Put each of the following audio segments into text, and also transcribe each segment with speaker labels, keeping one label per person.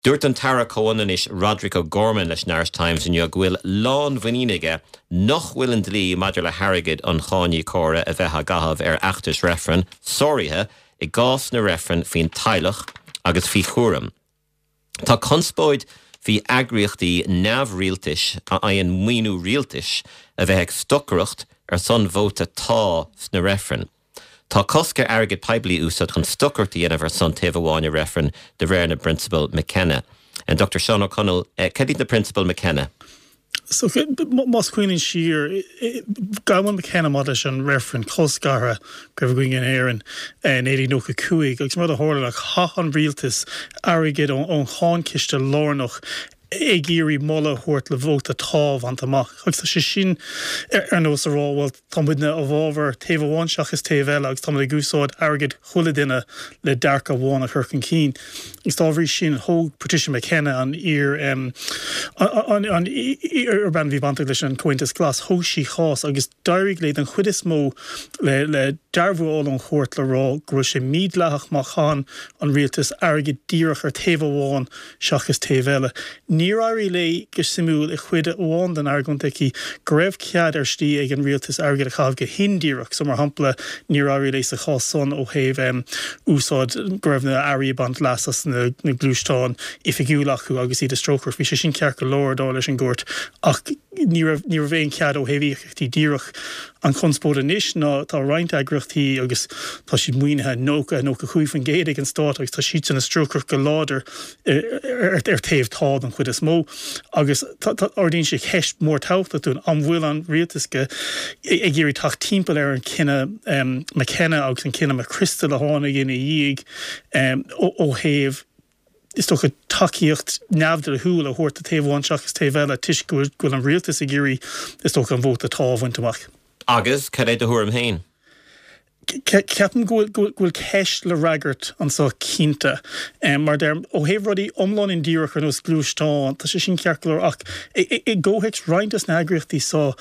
Speaker 1: Dúirt an tAire Comhionannais Roderic O'Gorman leis an Irish Times inniu go bhfuil lánmhuinín aige nach bhfuil an dlí maidir le hairgead an cháiníocóra a bheith á gcaitheamh ar fheachtais reifrinn sáraithe i gcás na reifreann faoin teaghlach agus faoi chúram. Tá conspóid faoi eagraíochtaí neamhrialtais a fhaigheann maoiniú rialtais a bheith ag stocaireacht ar son vóta 'Tá' sna reifrinn. Tá cosc ar airgead poiblí a úsáid chun stocaireacht a dhéanamh ar son taobh amháin i reifreann de réir na bprionsabal McKenna. An Dr Seán Ó Conaill, cad iad na prionsabail
Speaker 2: McKenna? So, más cuimhin linn siar, gabhann McKenna maidir leis an reifreann colscartha go raibh againn in Éirinn in 1995 agus an rud a tharla ná chaith an rialtas airgead ón cháinchiste lárnach ag iarraidh moladh a thabhairt le vóta 'Tá' a bhaint amach. Agus tá sé sin ar nós a rá, bhuel, tá muidne i bhfabhar taobh amháin seachas taobh eile agus táimid ag úsáid airgead chuile duine le dearcadh amháin a chur chun cinn. Agus dá bhrí sin, thóg Patricia McKenna, an iar, an iar-bhean a bhí bainteach leis an Chomhaontas Glas, thóg sí cás agus d'éirigh léi den chuid is mó le le dearbhú a fháil ón chúirt le rá go bhfuil sé mídhleathach má chaitheann an rialtas airgead díreach ar taobh amháin seachas taobh eile. Níor éirigh léi, go suimiúil, i chuid amháin den argóint aici go raibh cead ar shlí ag an rialtas airgead a chaitheamh go hindíreach, so mar shampla níor éirigh léi sa chás san ó thaobh úsáid go raibh na airí ag baint leas as na gluaisteáin oifigiúil acu agus iad ag strócaireacht. Bhí sé sin ceart go leor dar leis an gcúirt ach ní raibh ní raibh aon chead ó thaobh íocaíochtaí díreach. An chonspóid anois ná tá roinnt eagraíochtaí agus tá siad maoinithe 90, 95% ag an stát agus tá siadsan ag strócaireacht go láidir ar taobh 'Tá' den chuid is mó agus ardaíonn sé ceist mhór tábhachtach dúinn, an bhfuil an rialtas ag iarraidh teacht timpeall ar an chinneadh McKenna agus an cinneadh McChrystal a tháinig ina dhiaidh ó thaobh is dócha, tacaíocht neamhdhleathúil a thabhairt do taobh amháin seachas taobh eile toisc go bhfuil an rialtas ag iarraidh, is dócha, an vóta 'Tá' a bhaint amach.
Speaker 1: Agus cad é do thuairim féin?
Speaker 2: Ceapaim go bhfuil ceist le fhreagairt anseo cinnte. Mar a deirim, ó thaobh rudaí iomlán indíreach ar nós gluaisteán, tá sé sin ceart go leor ach i gcomhthéacs roinnt des na heagraíochtaí seo,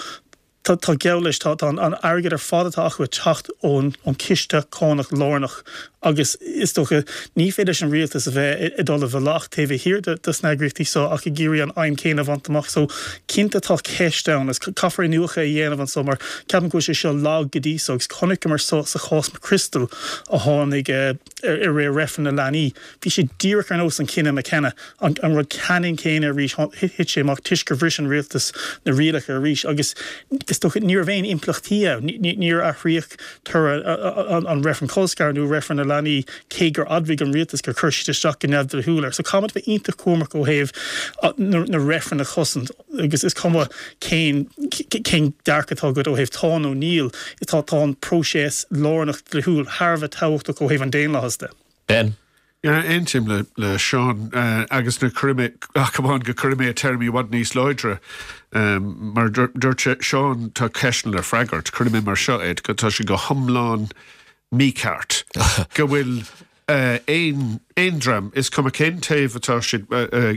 Speaker 2: Tá, tá geall leis, tá, tá an airgead ar fad atá acu ag teacht ón, ón ciste cánach lárnach agus is dócha ní féidir leis an rialtas a bheith ag dul i bhfolach taobh thiar de, de sna heagraíochtaí seo ach ag iarraidh an aidhm céanna a bhaint amach. So, cinnte tá ceist ann agus caithfear iniúchadh a dhéanamh anso mar ceapaim go bhfuil sé seo lag go dtí so agus chonaiceamar seo sa chás McChrystal a tháinig i rith reifreann na leanaí. Bhí sé díreach ar nós an cinneadh McKenna, an rud ceannann céanna arís, thit sé amach toisc gur bhris an rialtas na rialacha arís agus is dócha ní raibh aon impleachtaí ann, níor athraíodh toradh an reifreann colscartha nó reifreann na leanaí cé gur admhaigh an rialtas gur chuir siad isteach go neamhdhleathúil air. So caithfimid bheith iontach cúramach ó thaobh na reifrinn a chosaint agus is cuma cén cén dearcadh atá agat ó thaobh tá nó níl, tá an próiseas lárnach dlíthiúil thar a bheith tábhachtach ó thaobh an daonlathais de.
Speaker 1: Ben.
Speaker 3: Yeah, aontaím le le Seán agus na cuirfidh mé, ach amháin go cuirfidh mé téarmaí i bhfad níos láidre. Mar dúirt sé, Seán, tá ceisteanna le freagairt. Cuirfidh mé mar seo é, tá sé go hiomlán mícheart go bhfuil aon aon dream, is cuma cén taobh atá siad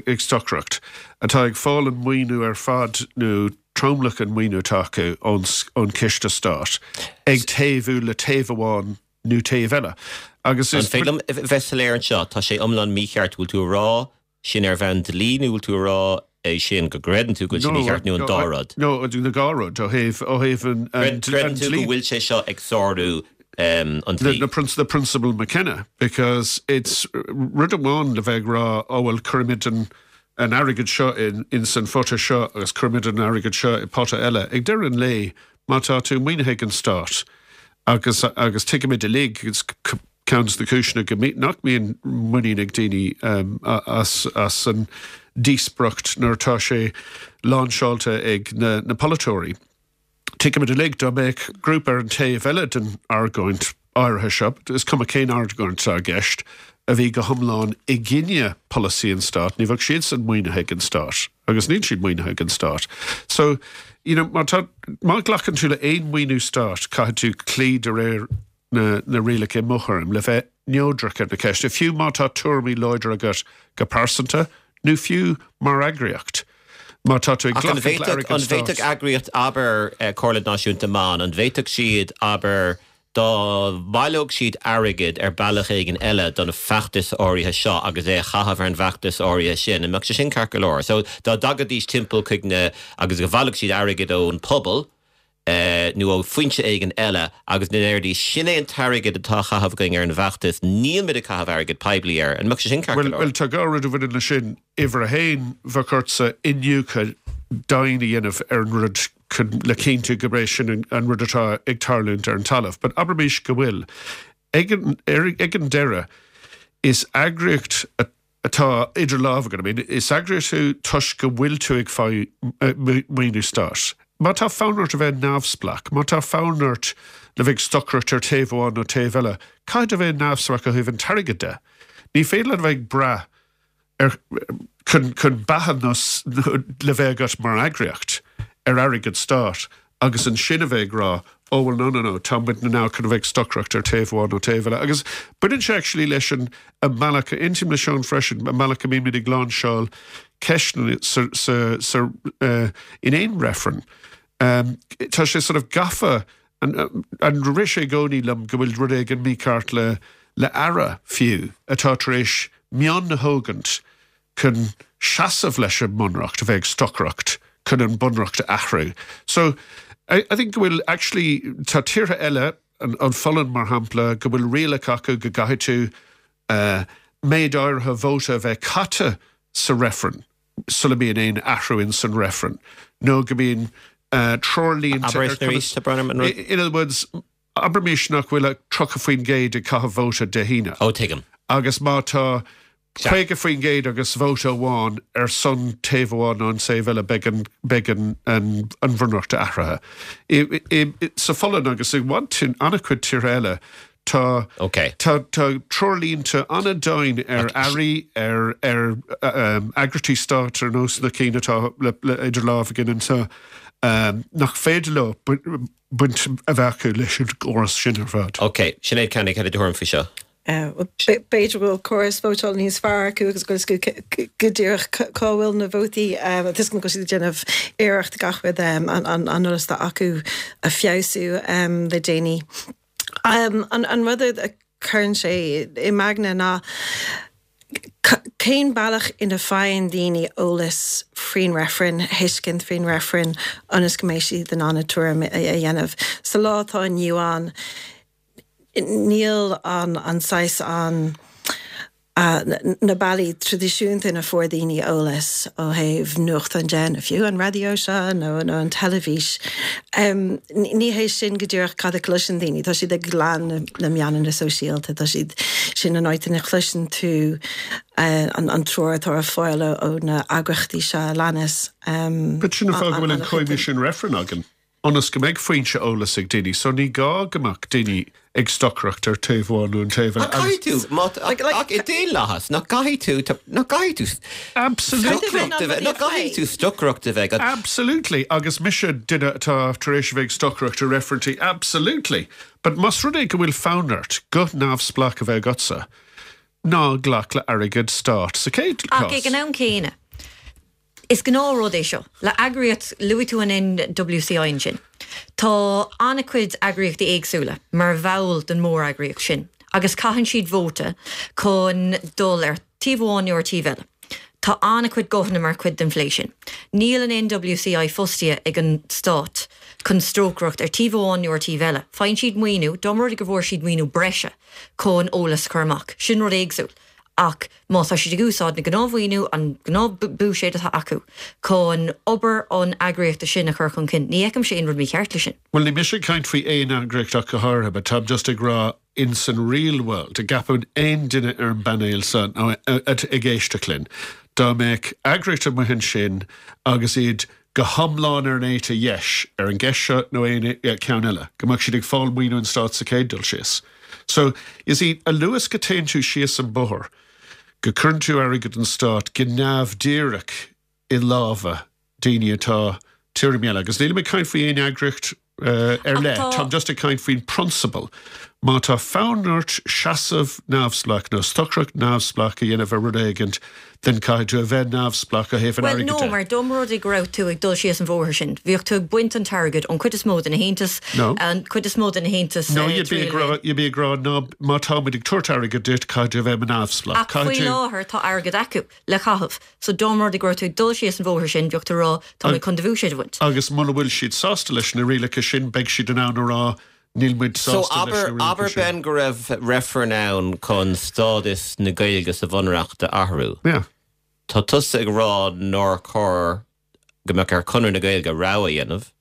Speaker 3: ag stocaireacht, atá ag fáil an maoiniú ar fad nó tromlach an maoiniú atá acu ón ón ciste stáit, ag taobhú le taobh amháin nó taobh eile.
Speaker 1: Agus is. An féidir liom bheith soiléir anseo? Tá sé iomlán mícheart. Bhfuil tú a rá sin ar bhonn dlí nó bhfuil tú a rá é sin go gcreideann tú go bhfuil sé mícheart nó an dá rud?
Speaker 3: No, na dhá rud, ó thaobh, ó thaobh an
Speaker 1: dlí. Creideann tú go bhfuil sé seo ag sárú an dlí?
Speaker 3: Na prionsabail McKenna, because it's rud amháin le bheith ag rá, oh well cuirimid an an airgead seo in ins an phota seo agus cuirimid an airgead seo i pota eile. Ag deireadh an lae, má tá tú maoinithe ag an stát, Agus, agus tuigimid uilig, is ceann de na cúiseanna go mbí, nach mbíonn muinín ag daoine as, as an díospóireacht nuair atá sé láinseáilte ag na, na polaiteoirí. Tuigimid uilig dá mbeadh grúpa ar an taobh eile den argóint áirithe seo, is cuma cén argóint atá i gceist, a bhí go hiomlán i gcoinne polasaí an stáit, ní bheadh siadsan maoinithe ag an stát. Agus níl siad maoinithe ag an stát. So, you know, má tá, má ghlacann tú le aon mhaoiniú stáit, caithfidh tú cloí de réir na, na rialacha i mo thuairim, le bheith neodrach ar na ceisteanna, fiú má tá tuairimí láidre agat go pearsanta nó fiú mar eagraíocht. Má tá tú ag
Speaker 1: Ach an glacadh le bhféadfadh, airgead an bhféadfadh stáit. eagraíocht, abair, Comhairle Náisiúnta Ban, an bhféadfadh siad, abair, Dá mbaileodh siad airgead ar bealach éigin eile don feachtas áirithe seo agus é a chaitheamh ar an bhfeachtas áirithe sin, an mbeadh sé sin ceart go leor? So, dá dtagaidís timpeall chuig na, agus go bhaileodh siad airgead ón pobal, nó ó foinse éigin eile agus go ndéarfaidís, sin é an t-airgead atá á chaitheamh againn ar an bhfeachtas, nílmid ag caitheamh airgead poiblí air, an mbeadh sé sin ceart go leor?
Speaker 3: Bhuel, tá dhá rud a bhaineann leis sin. Uimhir a haon, bheadh ortsa iniúchadh domhain a dhéanamh ar an rud chun le cinntiú gurb é sin an rud atá ag tarlúint ar an talamh. But abraimis go bhfuil. Ag an, ag an deireadh, is eagraíocht atá idir lámha agat. I mean, is eagraíocht thú toisc go bhfuil tú ag fáil maoiniú stáit. Má tá fonn ort a bheith neamhspleách, má tá fonn ort le bheith ag stocaireacht ar taobh amháin nó taobh eile, caithfidh tú a bheith neamhspleách ó thaobh an t-airgead de. Ní féidir leat a bheith ag brath ar, chun, chun beatha nó le bheith agat mar eagraíocht ar airgead stáit agus ansin a bheith ag rá oh well no no no tá muidne now chun a bheith ag stocaireacht ar taobh amháin nó taobh eile agus baineann sé actually leis an an mbealach, aontaím le Seán freisin, an mbealach a mbímid ag láinseáil ceisteanna sa, sa, sa, in aon reifreann. Tá sé sort of gafa, an rith sé i gcónaí liom go bhfuil rud éigin mícheart le le aire fiú atá tar éis mionn a thógaint chun seasamh leis an mbunreacht, a bheith ag stocaireacht chun an bunreacht a athrú. So, I, I think go bhfuil actually, tá tíortha eile, an, an Pholainn mar shampla, go bhfuil rialacha acu go gcaithfidh tú uh, méid áirithe vóta a bheith caite sa reifreann sula mbíonn aon athrú in san reifreann, nó go mbíonn uh, treoirlínte
Speaker 1: Abair é sin arís, a Bhronagh, an rud.
Speaker 3: In other words, Abraimis nach bhfuil ach 30% ag caitheamh vóta Dé hAoine.
Speaker 1: Ó, tuigim.
Speaker 3: Agus má tá 50% agus vóta amháin ar son taobh amháin nó an taobh eile, beidh an, beidh an, an, an bhunreacht athraithe. I, i, sa Pholainn agus i bhfad, an-chuid tíortha eile, tá,
Speaker 1: Ok.
Speaker 3: tá, tá treoirlínte an-dian ar airí, ar, ar eagraíochtaí stáit ar nós na cinn atá le, le, idir lámh againn anseo, nach féidir leo baint a bheith acu leis an gcóras sin ar fad.
Speaker 1: Ok, Sinéad Kennedy, cad é do thuairim faoi seo?
Speaker 4: B'fhéidir go bhfuil córas vótála níos fearr acu agus go bhfuil a fhios acu go díreach cá bhfuil na vótaí. Tá a fhios agam go bhfuil siad ag déanamh iarracht gach rud an eolas atá acu a feabhsú le déanaí. An rud a chuireann sé i m'aigne ná cén bealach ina faigheann daoine eolas faoin reifreann, thuiscint faoin reifreann ionas go mbeidh siad in ann a tuairim a dhéanamh. Sa lá atá inniu ann, níl an saghas an na bealaí traidisiúnta ina fuair daoine eolas ó thaobh nuachtáin de, nó fiú an raidió seo nó an teilifís. Ní hé sin go díreach cad a chloiseann daoine. Tá siad ag lean na meánanna sóisialta, tá siad, sin an áit ina chloiseann tú an treoir atá ar fáil ó na eagraíochtaí seo a leanas.
Speaker 3: But sin an fáth go bhfuil an Coimisiún Reifrinn againn. ionas go mbeidh foinse eolais ag daoine, so ní gá go mbeadh daoine ag stocaireacht ar taobh amháin nó an taobh eile.
Speaker 1: Ach caithfidh tú, má, ach i daonlathas, nach gcaithfidh tú, nach gcaithfidh tú
Speaker 3: stocaireacht
Speaker 1: a bheith, nach gcaithfidh tú stocaireacht a bheith agat.
Speaker 3: Absolutely, agus mise duine atá tar éis a bheith ag stocaireacht i reifrinntí, absolutely. But más rud é go bhfuil fonn ort guth neamhspleách a bheith agatsa, ná glac le airgead stáit sa chéad
Speaker 5: Ach
Speaker 3: chás.
Speaker 5: ag an am céanna, Is gnáthrud é seo le eagraíocht, luaigh tú an NWCI ansin. Tá an-chuid eagraíochtaí éagsúla mar bhall den mhóreagraíocht sin agus caitheann siad vóta chun dul ar taobh amháin nó ar taobh eile. Tá an-chuid guthanna mar chuid den phlé sin. Níl an NWCI fostaithe ag an stát chun strócaireacht ar taobh amháin nó ar taobh eile. Faigheann siad maoiniú, dá mba rud é go bhfuair siad maoiniú breise chun eolas a chur amach, sin rud éagsúil. Ach má tá siad ag úsáid na gnáthmhaoiniú, an gnáthbhuiséad atá acu chun obair an eagraíochta sin a chur chun cinn, ní fheicimse aon rud mícheart leis sin.
Speaker 3: Bhuel, ní mise ag caint faoi aon eagraíocht ach go háirithe, but táim just ag rá in san real world, an gceapann aon duine ar an bpainéal seo nó ag éisteacht linn, dá mbeadh eagraíocht amuigh ansin agus iad go hiomlán ar an éite dheis ar an gceist seo nó aon cheann eile, go mbeadh siad ag fáil maoiniú an stáit sa chéad dul síos. So, you see, a luaithe is go téann tú síos an bóthar, go cuireann tú airgead an stáit go neamhdhíreach i lámha daoine atá tuairim eile, agus nílim ag caint faoi aon eagraíocht ar leith, táim just ag caint faoin prionsabal. Má tá fonn ort seasamh neamhspleách nó stocaireacht neamhspleách a dhéanamh ar rud éigint, then caithfidh tú a bheith neamhspleách ó thaobh an
Speaker 5: Bhuel,
Speaker 3: airgid
Speaker 5: no,
Speaker 3: de.
Speaker 5: mar dá mba rud é go raibh tú ag dul síos an bhóthar sin, bheadh tú ag baint an t-airgead ón chuid is mó de na haontais,
Speaker 3: No.
Speaker 5: an chuid is mó de na haontais
Speaker 3: No, you'd be ag rá, you'd be ag rá, ná, má táimid ag tabhairt airgid duit, caithfidh tú a bheith neamhspleách.
Speaker 5: Ach faoi
Speaker 3: Caithfidh tú.
Speaker 5: láthair tá airgead acu le caitheamh. So dá mba rud é go raibh tú ag dul síos an bhóthar sin, bheadh tú ag rá, tá mé chun do bhuiséad a bhaint.
Speaker 3: Agus muna bhfuil siad sásta leis na rialacha sin, beidh siad in ann a rá, Níl muid
Speaker 1: So
Speaker 3: sásta leis
Speaker 1: abair,
Speaker 3: na rialacha
Speaker 1: abair
Speaker 3: sin.
Speaker 1: Ben go raibh reifreann ann chun stádas na Gaeilge sa Bhunreacht a athrú.
Speaker 3: Yeah.
Speaker 1: Tá tusa ag rá nár chóir go mbeadh ar Chonradh na Gaeilge rogha a dhéanamh,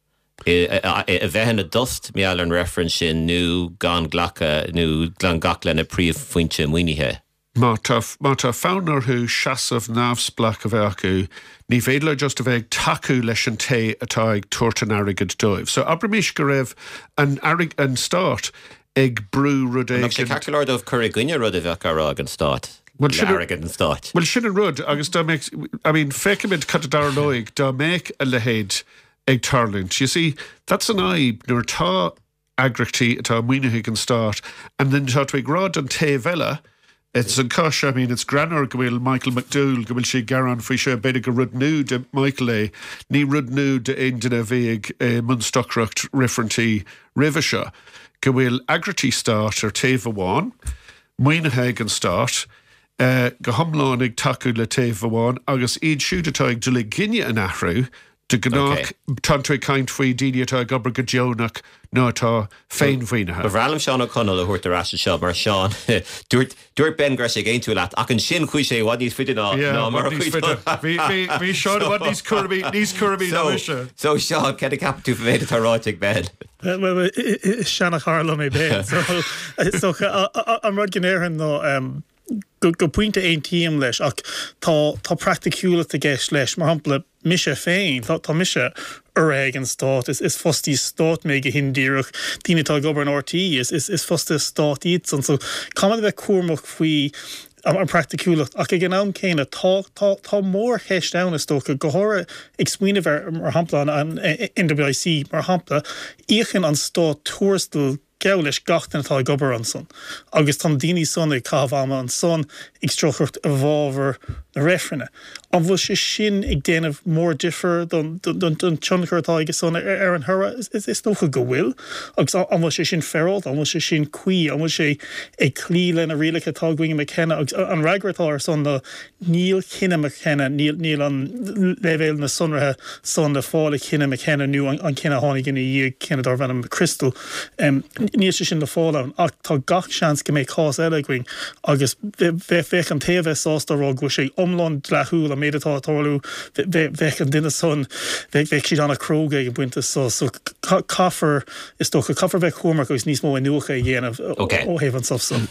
Speaker 1: a bheith ina dtost mar gheall ar an reifreann sin nó gan glacadh nó gan glacadh lena príomhfhoinse maoinithe.
Speaker 3: Má tá, má tá fonn orthu seasamh neamhspleách a bheith acu, ní féidir leo just a bheith ag tacú leis an té atá ag tabhairt an airgid dóibh. So abraimis go raibh an airg, an stát ag brú rud
Speaker 1: An mbeadh sé
Speaker 3: éigin.
Speaker 1: ceart go leor dóibh cur i gcoinne rud a bheadh á rá ag an stát
Speaker 3: Bhuel,
Speaker 1: le
Speaker 3: sin an,
Speaker 1: airgead an stáit?
Speaker 3: bhuel, sin an rud agus dá mbeadh, I mean, feicimid cad a dtarlóidh dá mbeadh a leithéid ag tarlúint. You see, that's an fhadhb nuair atá eagraíochtaí atá maoinithe ag an stát and then tá tú ag rá don taobh eile, ins an cás seo, I mean it's greannmhar go bhfuil Michael McDowell, go bhfuil sé ag gearán faoi seo, b'fhéidir gur rud nua do Michael é, ní rud nua d'aon duine a bhí ag i mbun stocaireacht reifrinntí roimhe seo, go bhfuil eagraíochtaí stáit ar taobh amháin, maoinithe ag an stát, go hiomlán ag tacú le taobh amháin agus iad siúd atá ag dul i gcoinne an athrú, De ghnáth, tá tú ag caint faoi daoine atá ag obair go deonach nó atá féinmhaoinithe.
Speaker 1: Ba bhreá liom Seán Ó Conaill a thabhairt ar ais anseo mar Seán, dúirt, dúirt Ben go raibh sé ag aontú leat ach ansin chuaigh sé i bhfad níos faide ná,
Speaker 3: Yeah,
Speaker 1: ná mar a
Speaker 3: i bhfad níos
Speaker 1: chuaigh
Speaker 3: faide. Bhí, bhí, bhí Seán i bhfad níos cúramaí, níos cúramaí ná mise.
Speaker 1: So, Seán, céard a cheapann tú faoin méid atá ráite ag Ben?
Speaker 2: Bhuel, is seanachara liom é Ben, so, is dócha, an rud go ndéarfainn ná, Go pointe aontaím leis ach tá tá praiticiúlacht i gceist leis. Mar shampla, mise féin, tá tá mise urraithe ag an stát, is is fostaí stáit mé go hindíreach, daoine atá ag obair in RTÉ, is is is fostaithe stáit iadsan. So caithfimid a bheith cúramach faoi an praiticiúlacht ach ag an am céanna tá tá tá mórcheist ann is dócha, go háirithe ag smaoineamh ar mar shampla an an NWIC mar shampla, íocann an stát tuarastal geall leis gach duine atá ag obair ansan agus tá na daoine san ag caitheamh ama ansan ag stocaireacht i bhfabhar na reifrinne. An bhfuil sé sin ag déanamh mór difear don tionchar atá aige san ar an thoradh? Is dócha go bhfuil. Agus an bhfuil sé sin féaráilte? An bhfuil sé sin cuí? An bhfuil sé ag cloí le na rialacha atá againn i McKenna? Agus an fhreagra atá ar san ná Níl cinneadh McKenna, níl, níl an leibhéal na sonraithe san le fáil i chinneadh McKenna nó an cinneadh a tháinig ina dhiaidh, cinneadh darbh ainm McChrystal. Níl sé sin le fáil ann ach tá gach seans go mbeidh cás eile againn agus bheadh an té a bheadh sásta a rá go bhfuil sé iomlán dleathúil an méid atá ag tarlú, bheadh an duine san, bheadh siad an-chróga ag an bpointe so. So caithfear, is dócha, caithfear bheith cúramach agus níos mó iniúchadh a dhéanamh ó thaobh an stuif san.